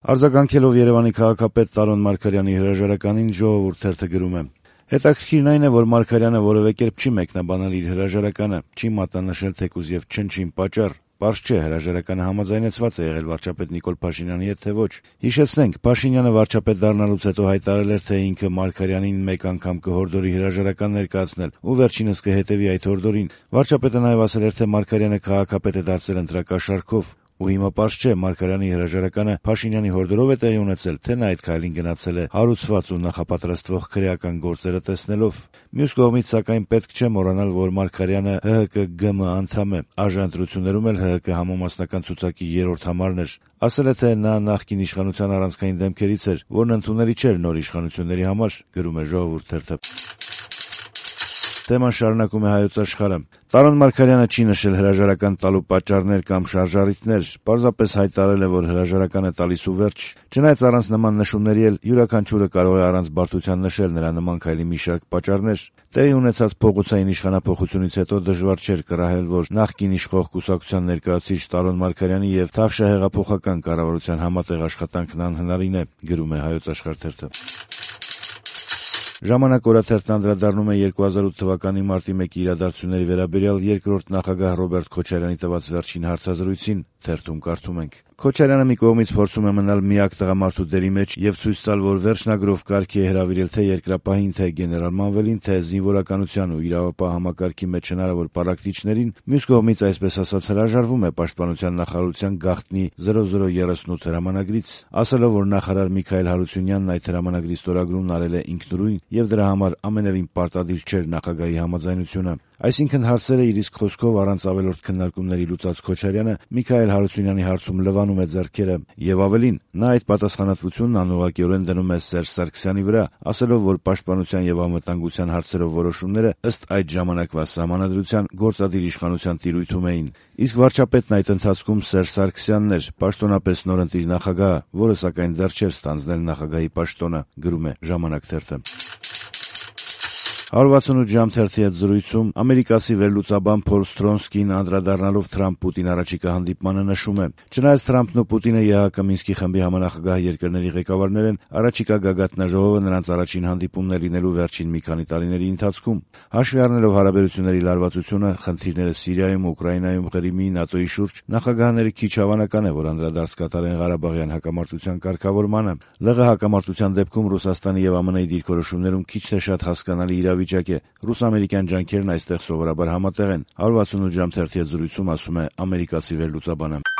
Արձագանքելով Երևանի քաղաքապետ Տարոն Մարգարյանի հրաժարականին «Ժողովուրդ» թերթը գրում է. «Հետաքրքիրն այն է, որ Մարգարյանը որևէ կերպ չի մեկնաբանել իր հրաժարականը, չի մատնանշել թեկուզ եւ չնչին պատճառ։ Պարզ չէ, հրաժարականը համաձայնեցված է եղել վարչապետ Նիկոլ Փաշինյանի հետ, թե ոչ։ Հիշեցնենք, Փաշինյանը վարչապետ դառնալուց հետո հայտարարել էր, թե ինքը Մարգարյանին մեկ անգամ կհորդորի հրաժարական ներկայացնել ու վերջինս կհետեւի այդ հորդորին։ Վարչապետը նաեւ ասել էր, թե Մարգարյանը քաղաքապետ է դարձել ընտրակաշառքով։ Ու հիմա պարզ չէ, Մարգարյանի հրաժարականը Փաշինյանի հորդորով է տեղի ունեցել, թե նա այդ քայլին գնացել է հարուցված ու նախապատրաստվող քրեական գործերը տեսնելով։ Մյուս կողմից, սակայն, պետք չէ մոռանալ, որ Մարգարյանը ՀՀԿ-ԳՄ անդամ է, ԱԺ ընտրություններում էլ ՀՀԿ համամասնական ցուցակի 3-րդ համարն էր։ Ասել է, թե նա նախկին իշխանության առանցքային դեմքերից էր, որն ընդունելի չէր նոր իշխանությունների համար, գրում է «Ժողովուրդ» թերթը։ Թեման շարունակում է Հայոց Աշխարհը. Տարոն Մարգարյանը չի նշել հրաժարական տալու պատճառներ կամ շարժառիթներ, պարզապես հայտարարել է, որ հրաժարականը տալիս ու վերջ։ Չնայած առանց նման նշումների էլ յուրաքանչյուրը կարող է առանց բարդության նշել նրա նման քայլի մի շարք պատճառներ։ Տեղի ունեցած փողոցային իշխանափոխությունից հետո դժվար չէր կռահել, որ նախկին իշխող կուսակցության ներկայացուցիչ Տարոն Մարգարյանի եւ Թավշյա հեղափոխական կառավարության համատեղ աշխատանքն անհնարին է, գրում է Հայոց Աշխարհ թերթը։ Ժամանակ օրաթերթն անդրադառնում է 2008 թվականի մարտի 1-ի իրադարձությունների վերաբերյալ երկրորդ նախագահ Ռոբերտ Քոչարյանի տված վերջին հարցազրույցին։ Թերթում կարդում ենք. Քոչարյանը մի կողմից փորձում է մնալ միակ տղամարդու դերի մեջ եւ ցույց տալ, որ վերջնագրով կարգի է հրավիրել թե երկրապահին, թե գեներալ Մանվելին, թե զինվորականության ու իրավապահ համակարգի մեջ հնարավոր պառակտիչներին, մյուս կողմից, այսպես ասած, հրաժարվում է պաշտպանության նախարարության գաղտնի 0038 հրամանագրից, ասելով, որ նախարար Միքայել Հարությունյանն այդ հրամանագրի ստորագրումն արել է ինքնուրույն եւ դրա համար ամենևին պարտադիր չէր նախագահի համաձայնությունը։ Այսինքն հարցերը իր իսկ խոսքով առանց ավելորդ քննարկումների լուծած Քոչարյանը Միքայել Հարությունյանի հարցում լվանում է ձեռքերը եւ ավելին, նա այդ պատասխանատվությունն անուղղակիորեն դնում է Սերժ Սարգսյանի վրա, ասելով, որ պաշտպանության եւ անվտանգության հարցերով որոշումները ըստ այդ ժամանակվա սահմանադրության գործադիր իշխանության տիրույթում էին։ Իսկ վարչապետն այդ ընթացքում Սերժ Սարգսյանն էր, պաշտոնապես նորընտիր նախագահը, որը սակայն դեռ չէր ստանձնել նախագահի պաշտոնը, գրում է «Ժամանակ» թերթը։ 168 ժամ թերթի հետ զրույցում ամերիկացի վերլուծաբան Փոլ Սթրոնսկին անդրադառնալով Թրամփ-Պուտին առաջիկա հանդիպմանը նշում է. չնայած Թրամփն ու Պուտինը ԵԱՀԿ Մինսկի խմբի համանախագահ երկրների ղեկավարներ են, առաջիկա գագաթնաժողովը նրանց առաջին հանդիպումն է լինելու վերջին մի քանի տարիների ընթացքում։ Հաշվի առնելով հարաբերությունների լարվածությունը, խնդիրները Սիրիայում, Ուկրաինայում, Ղրիմի, ՆԱՏՕ-ի շուրջ, նախագահները քիչ հավանական է, որ անդրադարձ կատարեն Ղարաբաղյան հակամարտության կարգավորմանը։ ԼՂ հակամարտության դեպքում Ռուսաստանի եւ ԱՄՆ-ի դիրքորոշումներում քիչ թե շատ հասկանալի իրավիճակ է։ Ռուս-ամերիկյան ջանքերն այստեղ սովորաբար համատեղ են։ 168 ժամ թերթի հետ զրույցում ասում է ամերիկացի վերլուծաբանը։